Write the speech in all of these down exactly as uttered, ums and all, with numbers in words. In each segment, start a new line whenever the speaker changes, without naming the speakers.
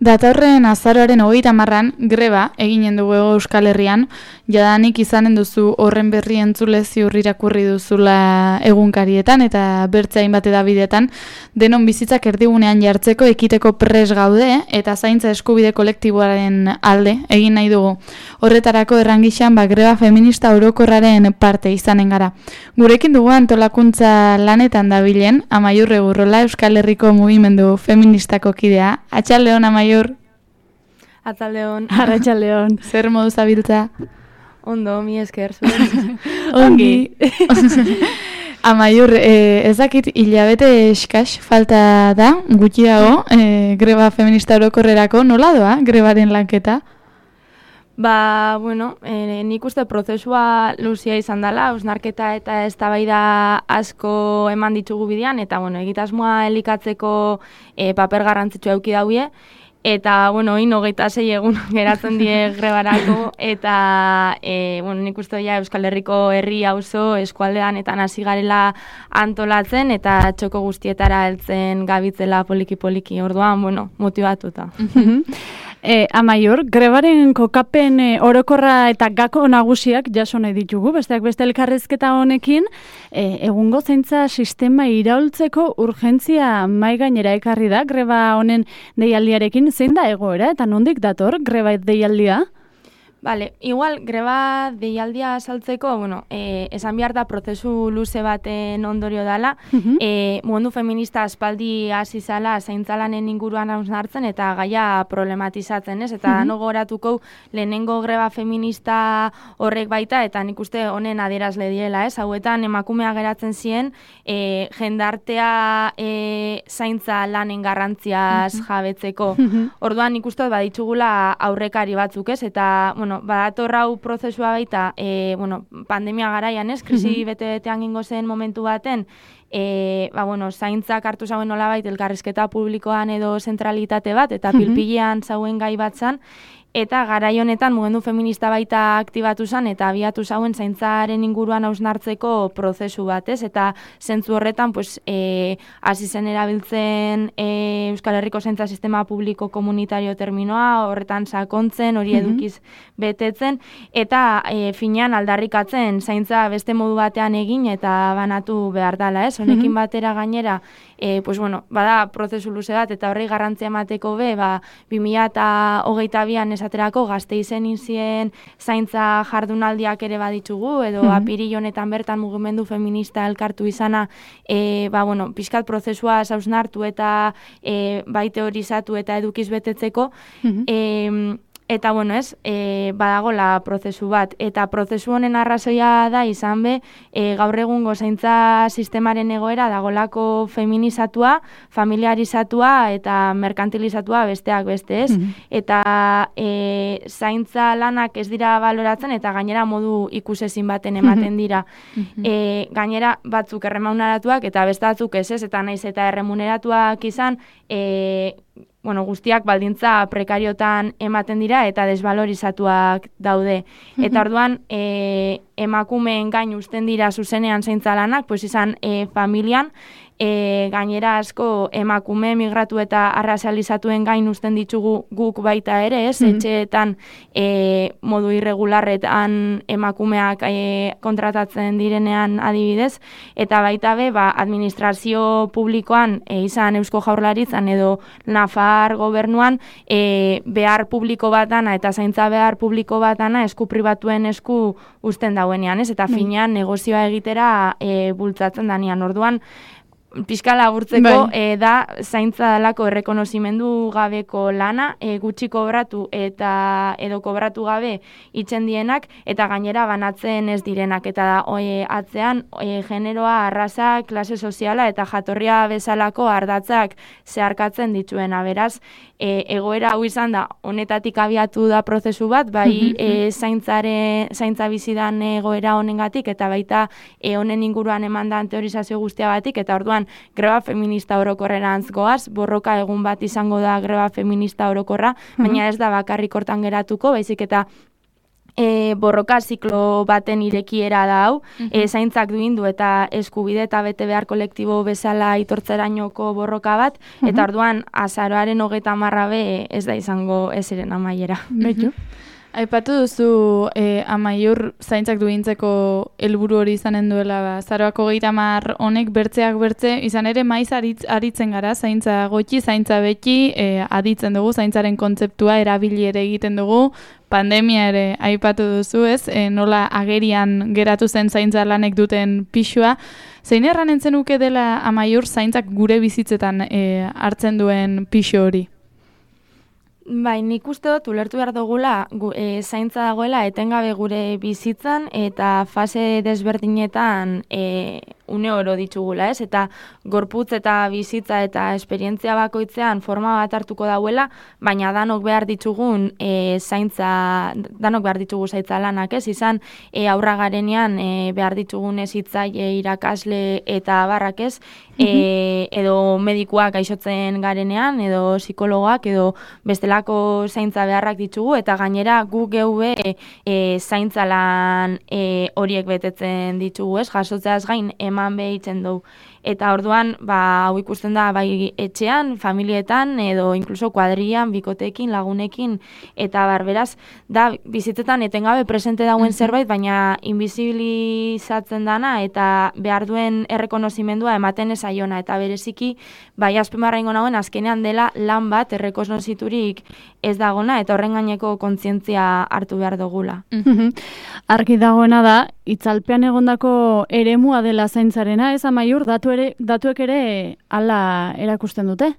Datorren azaroaren hogeita hamarran greba eginen dugu Euskal Herrian, jadanik izanen duzu horren berri entzule ziur irakurri duzula egunkarietan eta bertze hainbat edabideetan, denon bizitzak erdigunean jartzeko ekiteko pres gaude eta zaintza eskubide kolektiboaren alde egin nahi dugu. Horretarako errangixan ba, greba feminista orokorraren parte izanen gara. Gurekin dugu antolakuntza lanetan dabilen, Amaiur Egurrola, Euskal Herriko mugimendu feministako kidea. Atxaldeon, Amaiur.
Atzaldeon.
Arratxaldeon. Zer modu zabiltza?
Ondo, mi esker. Zuen.
Ongi. Amaiur, eh, ez dakit hilabete eskas falta da, gutxi dago, eh, greba feminista orokorrerako, nola doa grebaren lanketa?
Ba, bueno, eh, nik uste prozesua luzia izan dela, hausnarketa eta eztabaida asko eman ditugu bidean, eta, bueno, egitasmoa elikatzeko eh, paper garrantzitsua eduki daude, eta, bueno, oin hogeita sei egun geratzen die grebarako, eta, e, bueno, nik uste ja Euskal Herriko herri auzo eskualdean eta hasi garela antolatzen, eta txoko guztietara heltzen gabitzela poliki-poliki, orduan, bueno, motibatuta.
E, Amaiur, grebaren kokapen e, orokorra eta gako nagusiak jaso nahi ditugu, besteak beste elkarrezketa honekin, e, egungo zaintza sistema iraultzeko urgentzia mai gainera ekarri da greba honen deialdiarekin, zein da egoera eta nondik dator greba deialdia?
Vale, igual, greba deialdia azaltzeko, bueno, eh, esan behar da prozesu luze baten ondorio dela, uh-huh. eh, mugendu feminista aspaldi hasi zala zaintzalanen inguruan hausnartzen eta gaia problematizatzen, ez? Eta uh-huh. no goratuko lehenengo greba feminista horrek baita, eta nik uste honen adierazle diela, ez? Hauetan emakumea geratzen ziren, eh, jendartea eh, zaintza lanen garrantziaz uh-huh. jabetzeko. Uh-huh. Orduan nik uste baditugula aurrekari batzuk, ez? Eta, bueno, Bueno, badator hau prozesua baita, e, bueno, pandemia garaian, ez, krisi uh-huh. bete-betean gingo zen momentu baten, e, ba, bueno, zaintzak hartu zauen nolabait elkarrizketa publikoan edo zentralitate bat, eta uh-huh. pilpilean zauen gai bat zan, eta garai honetan mugendu feminista baita aktibatu zen eta abiatu zauen zaintzaren inguruan hausnartzeko prozesu bat, ez? Eta zentzu horretan, pues, e, hasi zen erabiltzen e, Euskal Herriko zaintza sistema publiko komunitario terminoa, horretan sakontzen, hori edukiz betetzen, eta e, finean aldarrikatzen zaintza beste modu batean egin eta banatu behar dela, ez? Honekin batera gainera, e, pues, bueno, bada prozesu luze bat, eta horri garrantzia emateko be, ba, bi mila hogeita bian esaterako Gasteizen izien zaintza jardunaldiak ere baditugu, edo mm-hmm. apiril honetan bertan mugimendu feminista elkartu izana, e, ba, bueno, pixkat prozesua hausnartu eta e, bai teorizatu eta edukiz betetzeko, mm-hmm. e, eta, bueno, ez, e, badagola prozesu bat, eta prozesu honen arrazoia da izan be, e, gaur egungo zaintza sistemaren egoera dagolako feminizatua, familiarizatua eta merkantilizatua besteak beste, ez? Mm-hmm. Eta e, zaintza lanak ez dira baloratzen eta gainera modu ikusezin baten ematen dira. Mm-hmm. E, gainera batzuk erremuneratuak eta beste batzuk ez, ez, eta naiz eta erremuneratuak izan, e, bueno, guztiak baldintza prekariotan ematen dira eta desbalorizatuak daude. Mm-hmm. Eta orduan, e, emakumeen gain uzten dira zuzenean zaintza lanak, pues izan e, familian, e, gainera asko emakume migratu eta arrazializatuen gain uzten ditugu guk baita ere, ez? Mm-hmm. Etxeetan e, modu irregularretan emakumeak e, kontratatzen direnean adibidez, eta baita be, ba, administrazio publikoan e, izan Eusko Jaurlaritzan edo Nafar gobernuan e, behar publiko bat dana eta zaintza behar publiko bat dana esku pribatuen esku uzten dauenean, ez? Eta finean negozioa egitera e, bultzatzen danean. Orduan, pixka laburtzeko e, da zaintza dalako errekonozimendu gabeko lana, e, gutxi kobratu eta edo kobratu gabe itzen dienak, eta gainera banatzen ez direnak, eta da, e, atzean e, generoa, arraza, klase soziala eta jatorria bezalako ardatzak zeharkatzen dituena, beraz, e, egoera hau izan da, honetatik abiatu da prozesu bat, bai e, zaintzare, zaintza bizidan egoera honengatik, eta baita e, honen inguruan emandan teorizazio guztia batik, eta orduan greba feminista orokorrerantz goaz, borroka egun bat izango da greba feminista orokorra, baina ez da bakarrik hortan geratuko, baizik eta e, borroka ziklo baten irekiera da hau, mm-hmm. e, zaintzak duindu eta eskubide eta bete behar kolektibo bezala itortzerainoko borroka bat, mm-hmm. eta orduan azaroaren hogeita hamarra be ez da izango ezeren amaiera.
Betu.
Aipatu duzu eh, Amaiur zaintzak duintzeko helburu hori izanen duela, ba, azaroako hogeita hamar honek bertzeak bertze, izan ere maiz aritz, aritzen gara, zaintza gotxi, zaintza beti, eh, aditzen dugu, zaintzaren kontzeptua erabili ere egiten dugu, pandemia ere aipatu duzu, ez? E, nola agerian geratu zen zaintza lanek duten pixua. Zein erranen zenuke dela Amaiur zaintzak gure bizitzetan e, hartzen duen pixo hori?
Bai, nik uste dut ulertu behar dugula gu, e, zaintza dagoela etengabe gure bizitzan eta fase desberdinetan e, une oro ditugula, ez? Eta gorputz eta bizitza eta esperientzia bakoitzean forma bat hartuko dauela, baina danok behar ditugun e, zaintza, danok behar ditugu zaintza lanak, ez? Izan e, aurra garenean e, behar ditugun hezitzaile, irakasle eta abarrak, ez? E, edo medikuak gaixotzen garenean, edo psikologoak, edo bestelako zaintza beharrak ditugu, eta gainera gu geube e, e, zaintza lan e, horiek betetzen ditugu, ez? Jasotzeaz gain eman behitzen dugu. Eta orduan, ba, hau ikusten da bai etxean, familietan, edo inkluso kuadrian, bikotekin, lagunekin, eta barberaz, da bizitzetan etengabe presente dauen zerbait, baina invisibilizatzen dana, eta behar duen errekonozimendua ematen ezaiona, eta bereziki, bai azpimarra ingo nagoen, azkenean dela lan bat errekonoziturik ez dagona, eta horren gaineko kontzientzia hartu behar dugula.
Argi dagoena da, itzalpean egondako eremua dela zaintzarena, ez Amaiur, datu ere, datuek ere hala erakusten dute?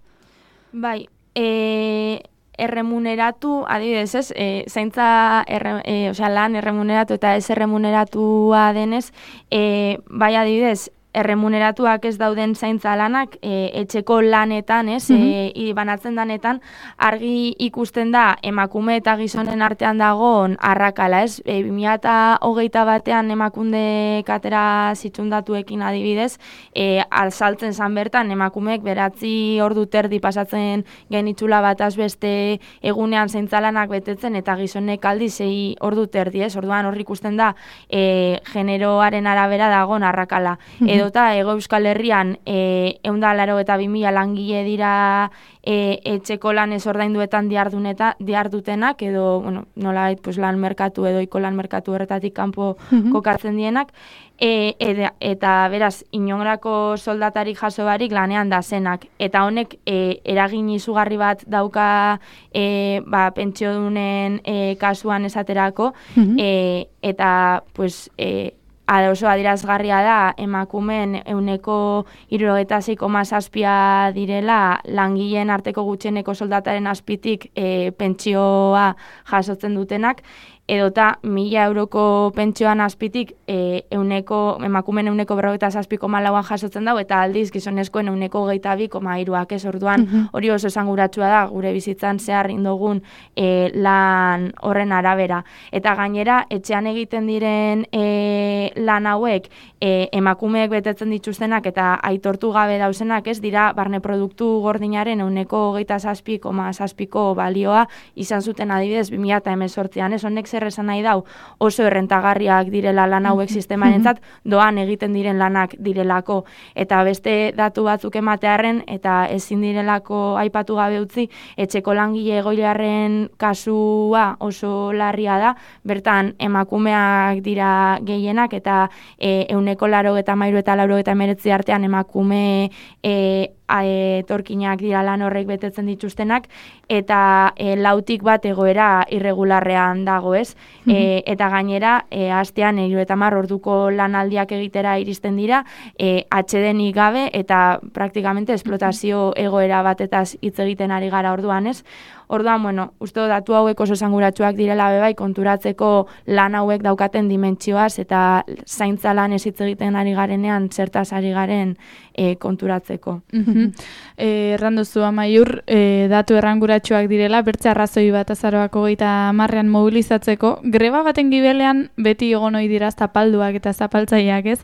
Bai, e, erremuneratu, adibidez, ez, e, zaintza erre, e, osea, lan erremuneratu eta ez erremuneratua denez, e, bai adibidez, erremuneratuak ez dauden zaintza lanak, e, etxeko lanetan, ez, mm-hmm. e, banatzen danetan, argi ikusten da emakume eta gizonen artean dagoen arrakala, ez, e, bi mila hogeita batean emakunde katera zitxundatuekin adibidez, e, alzaltzen zan bertan emakumeek beratzi ordu terdi pasatzen genitzula bataz beste egunean zaintza lanak betetzen, eta gizonek aldiz sei ordu terdi, ez, orduan horri ikusten da e, generoaren arabera dagoen arrakala. Mm-hmm. Edota Ego Euskal Herrian e, ehun eta laurogeita bi mila langile dira e, etxeko lan ez ordainduetan diardutenak, edo bueno, nolabait pues, lan merkatu edo iko lan merkatu horretatik kanpo mm-hmm. kokatzen dienak, e, ed, eta beraz inongrako soldatarik jaso barik lanean da zenak. Eta honek e, eragin izugarri bat dauka e, ba, pentsiodunen e, kasuan esaterako, mm-hmm. e, eta pues... E, oso adierazgarria da emakumeen ehuneko hirurogeita sei koma zazpia direla langileen arteko gutxieneko soldataren azpitik e, pentsioa jasotzen dutenak, edota mila euroko pentsioan azpitik e, euneko, emakumeen euneko berrogeita zazpi koma lauan jasotzen dago, eta aldiz gizonezkoen euneko hogeita bi koma hiruak, ez orduan mm-hmm. hori oso esanguratsua da gure bizitzan zehar indogun e, lan horren arabera. Eta gainera, etxean egiten diren e, lan hauek e, emakumeek betetzen dituztenak eta aitortu gabe dauzenak, ez dira barne produktu gordinaren euneko hogeita zazpi koma zazpiko balioa izan zuten adibidez bi mila hemezortzian, ez honek zer esan nahi dau oso errentagarriak direla lan hauek sistemarentzat, doan egiten diren lanak direlako, eta beste datu batzuk ematearren eta ezin direlako aipatu gabe utzi, etxeko langile egoilearen kasua oso larria da, bertan emakumeak dira gehienak, eta e, euneko laurogeita hamairu eta laurogeita hemeretzi artean emakume e, etorkinak dira lan horrek betetzen dituztenak, eta e, lautik bat egoera irregularrean dago, ez? Mm-hmm. E, eta gainera, e, astean hirurogeita hamar orduko lanaldiak egitera iristen dira, e, atsedenik gabe, eta praktikamente esplotazio egoera batetaz hitz egiten ari gara orduan, ez? Orduan, bueno, uste datu hauek oso esanguratsuak direla bebai konturatzeko lan hauek daukaten dimentsioaz eta zaintza lan ez hitz egiten ari garenean zertaz ari garen e, konturatzeko.
Mm-hmm. e, erranduzu Amaiur, e, datu erranguratsuak direla, bertze arrazoi bat azaroako hogeita hamarrean mobilizatzeko, greba baten gibelean beti egon ohi dira zapalduak eta zapaltzaileak, ez?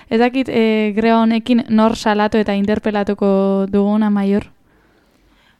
Ez dakit e, greba honekin nor salatu eta interpelatuko dugun Amaiur?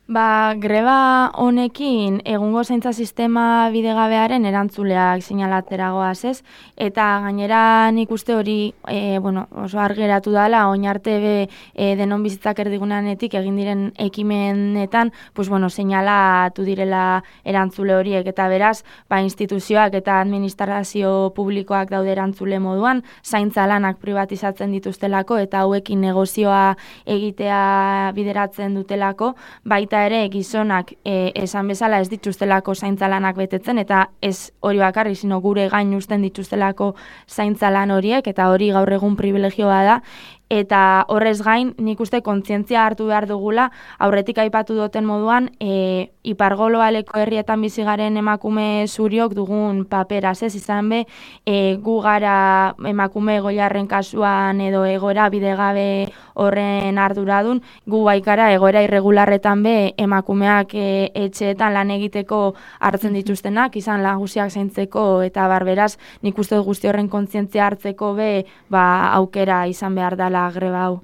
Ba, greba honekin egungo zaintza sistema bidegabearen erantzuleak sinalateragoaz, ez? Eta gainera nik uste hori e, bueno, oso argeratu dela, oin arte be e, denon bizitzak erdigunanetik egin diren ekimenetan, pues, bueno, seinalatu direla erantzule horiek, eta beraz, ba, instituzioak eta administrazio publikoak daude erantzule moduan, zaintza lanak privatizatzen dituztelako, eta hauekin negozioa egitea bideratzen dutelako, baita ere gizonak e, esan bezala ez dituztelako zaintzalanak betetzen, eta ez hori bakarri, sino gure gain uzten dituztelako zaintzalan horiek, eta hori gaur egun privilegioa da. Eta horrez gain, nik uste kontzientzia hartu behar dugula, aurretik aipatu duten moduan, e, ipargoloaleko herrietan bizigaren emakume zuriok dugun paperaz, ez izan be, e, gu gara emakume egoilarren kasuan edo egoera bidegabe horren arduradun, gu baikara egoera irregularretan be emakumeak e, etxeetan lan egiteko hartzen dituztenak, izan lagusiak zaintzeko eta barberaz, nik uste guzti horren kontzientzia hartzeko be, ba, aukera izan behar dela greba hau.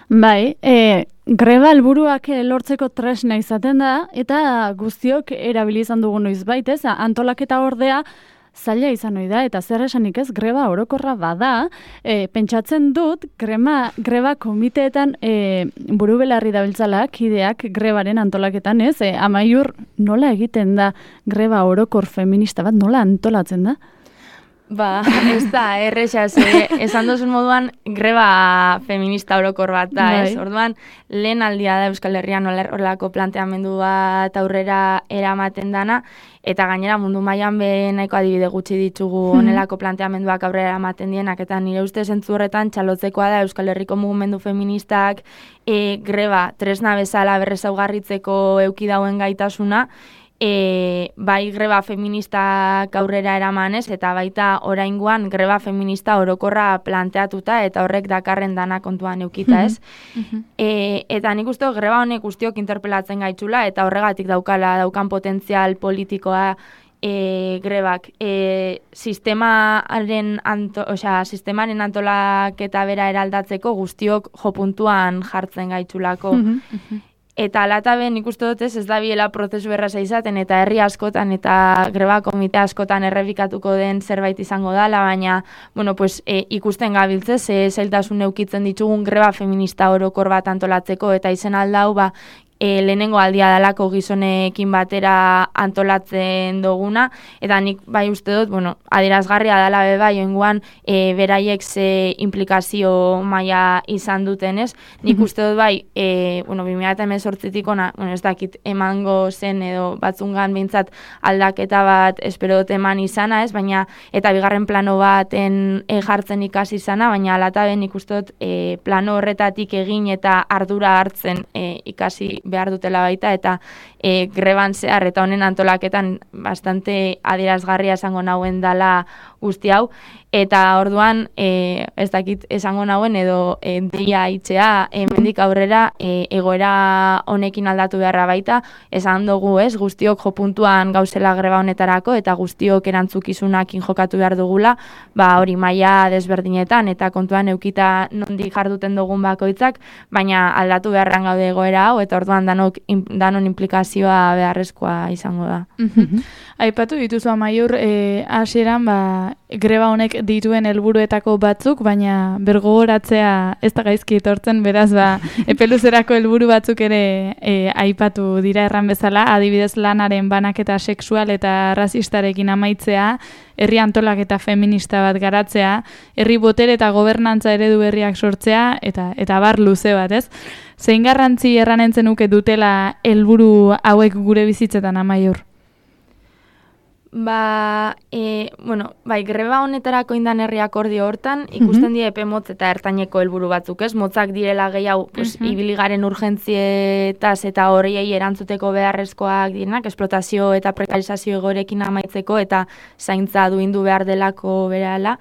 Bai, e, greba helburuak lortzeko tresna izaten da, eta guztiok erabili izan dugu noiz baitez, antolaketa ordea zaila izan ohi da, eta zer esanik ez, greba orokorra bada, e, pentsatzen dut, grema, greba komiteetan e, buru belarri dabiltzala, kideak grebaren antolaketan ez, e, Amaiur nola egiten da greba orokor feminista bat, nola antolatzen da?
Ba, ez da, erresa, esan duzun moduan greba feminista orokor bat da, ez? Orduan, lehen aldia da Euskal Herrian horrelako planteamendu bat aurrera eramaten dana, eta gainera mundu mailan be nahiko adibide gutxi ditugu honelako planteamenduak aurrera eramaten dienak, eta nire ustez zentzu horretan txalotzekoa da Euskal Herriko mugimendu feministak e, greba tresna bezala berrezaugarritzeko euki dauen gaitasuna, E, bai greba feministak aurrera eramanez, eta baita oraingoan greba feminista orokorra planteatuta eta horrek dakarren dana kontuan eukita, ez? Mm-hmm. e, eta nik uste greba honek guztiok interpelatzen gaitzula, eta horregatik daukala daukan potentzial politikoa e, grebak. E, sistemaren, anto, osea, sistemaren antolaketa bera eraldatzeko guztiok jo puntuan jartzen gaitzulako. Mm-hmm. Eta alataben nik uste dut ez da biela prozesu erraza izaten, eta herri askotan eta greba komite askotan errepikatuko den zerbait izango dela, baina bueno, pues, e, ikusten gabiltzez, e, zailtasun eukitzen ditugun greba feminista orokor bat antolatzeko, eta izen aldau ba, E, lehenengo aldia dalako gizonekin batera antolatzen duguna, eta nik bai uste dut, bueno, adierazgarria dela be bai, oingoan e, beraiek ze implikazio maila izan dutenez, nik uste dut bai, e, bueno, bi mila hemezortzitik ona, bueno, ez dakit emango zen edo batzungan behintzat aldaketa bat espero dut eman izana, ez, baina, eta bigarren plano baten e, jartzen ikasi izana, baina alataben nik uste dut e, plano horretatik egin eta ardura hartzen e, ikasi behar dutela baita, eta e, greban zehar eta honen antolaketan bastante adierazgarria esango nauen dala guzti hau, eta orduan e, ez dakit esango nauen edo e, deia itxea hemendik aurrera e, egoera honekin aldatu beharra baita, esan dugu ez, guztiok jo puntuan gauzela greba honetarako, eta guztiok erantzukizunakin jokatu behar dugula, ba hori maila desberdinetan, eta kontuan eukita nondik jarduten dugun bakoitzak, baina aldatu beharran gaude egoera hau, eta orduan danok, danon implikazioa beharrezkoa izango da.
Aipatu dituzu Amaiur, e, hasieran ba, greba honek dituen helburuetako batzuk, baina bergogoratzea ez da gaizki etortzen, beraz ba, epeluzerako helburu batzuk ere e, aipatu dira erran bezala, adibidez lanaren banaketa sexual eta rasistarekin amaitzea, herri antolaketa feminista bat garatzea, herri botere eta gobernantza eredu berriak sortzea, eta eta bar luze bat, ez? Zein garrantzi erranen zenuke dutela helburu hauek gure bizitzetan Amaiur?
Ba, e, bueno, bai, greba honetarako indan herri akordio hortan, ikusten die epe motz eta ertaineko helburu batzuk, ez? Motzak direla gehiago, pues, uh-huh. ibiligaren urgentzietaz eta horiei erantzuteko beharrezkoak direnak, esplotazio eta prekarizazio egorekin amaitzeko eta zaintza duindu behar delako berehala.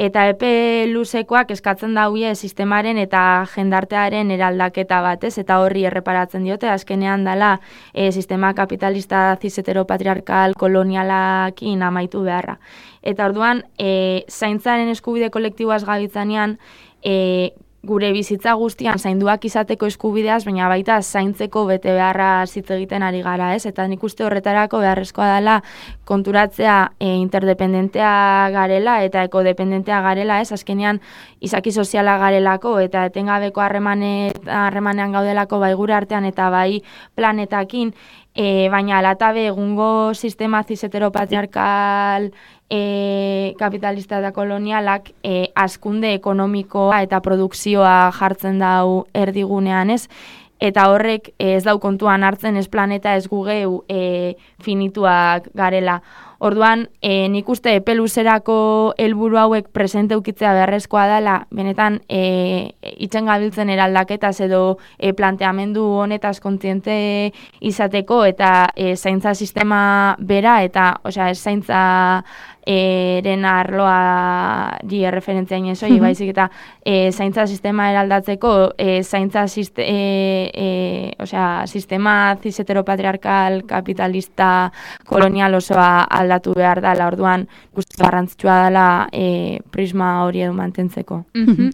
Eta epe luzekoak eskatzen dauie sistemaren eta jendartearen eraldaketa batez, eta horri erreparatzen diote, azkenean dela e, sistema kapitalista cis-heteropatriarkal kolonialakin amaitu beharra. Eta orduan, e, zaintzaren eskubide kolektiboaz gabitzanean, e, gure bizitza guztian zainduak izateko eskubideaz, baina baita zaintzeko bete beharra hitz egiten ari gara, ez? Eta nik uste horretarako beharrezkoa dela konturatzea e, interdependentea garela eta ekodependentea garela, ez? Azkenean izaki soziala garelako eta etengabeko harremanean gaudelako bai gure artean eta bai planetakin, e, baina alatabe egungo sistema cis-heteropatriarkal E, kapitalista eta kolonialak e, hazkunde ekonomikoa eta produkzioa jartzen dau erdigunean, ez? Eta horrek e, ez dau kontuan hartzen ez planeta ez gugeu e, finituak garela. Orduan, e, nik uste epe luzerako helburu hauek presente ukitzea beharrezkoa dela, benetan e, itzen gabiltzen eraldaketaz edo e, planteamendu honetaz kontziente izateko eta e, zaintza sistema bera eta, osea, ez zaintza eren arloa di erreferentzia inezo, mm-hmm. baizik eta e, zaintza sistema eraldatzeko e, zaintza siste, e, e, osea, sistema cis-heteropatriarkal kapitalista kolonial osoa aldatu behar dela, orduan guzti garrantzitsua dela e, prisma hori edo mantentzeko.
Mm-hmm.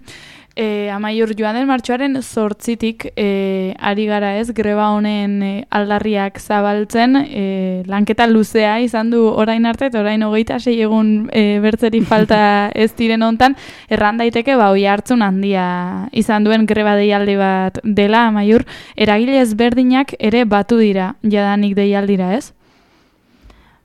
E, amaiur joan den martxoaren zortzitik e, ari gara ez, greba honen e, aldarriak zabaltzen, e, lanketa luzea izan du orain arte, eta orain hogeita sei egun e, bertzeri falta ez diren hontan, erran daiteke ba, oi hartzun handia izan duen greba deialdi bat dela, amaiur, eragile ezberdinak ere batu dira, jadanik deialdira ez?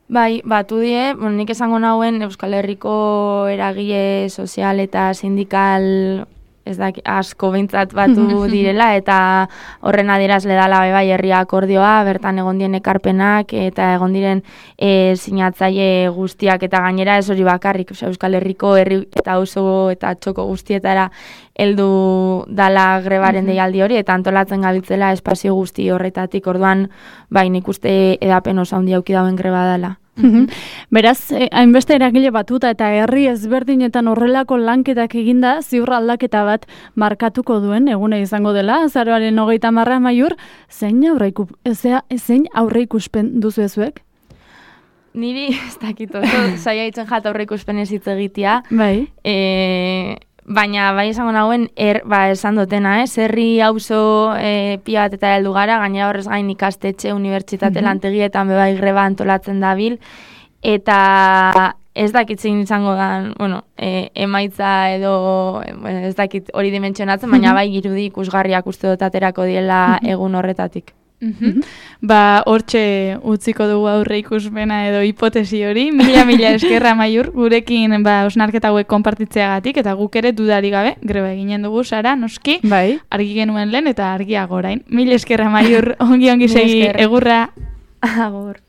Bai, batu die, bueno, nik esango nauen Euskal Herriko eragile sozial eta sindikal ez da asko behintzat batu direla eta horren adierazle dela bai herria akordioa, bertan egon dien ekarpenak eta egon diren e, sinatzaile guztiak eta gainera ez hori bakarrik, osea, Euskal Herriko herri eta auzo eta txoko guztietara heldu dala grebaren deialdi hori eta antolatzen gabiltzela espazio guzti horretatik, orduan bai nik uste edapen oso handia auki dauen greba dela.
Mm-hmm. Beraz, eh, hainbeste eragile batuta eta herri ezberdinetan horrelako lanketak eginda, ziur aldaketa bat markatuko duen egune izango dela, azaroaren hogeita marra amaiur, zein aurreiku, ezea, zein aurreikuspen duzu ezuek?
Niri, ez dakit, oso zaila itzen jat aurreikuspen ez hitz egitea.
Bai.
E, baina bai esango nagoen, er, ba, esan dutena, ez? Herri auzo e, pia bat eta heldu gara, gainera horrez gain ikastetxe, unibertsitate mm-hmm. lantegietan bebai greba antolatzen dabil, eta ez dakitzen izango da, bueno, e, emaitza edo, bueno, ez dakit hori dimentsionatzen, baina bai girudi ikusgarriak uste dut aterako diela egun horretatik.
Mm-hmm. Ba, hortxe utziko dugu aurre ikusmena edo hipotesi hori. Mila, mila eskerra Amaiur, gurekin ba, osnarketa hauek konpartitzeagatik, eta guk ere dudari gabe, greba eginen dugu, Sara, noski,
bai.
Argi genuen lehen eta argiago orain. Mila eskerra Amaiur, ongi ongi segi, egurra.
Agur.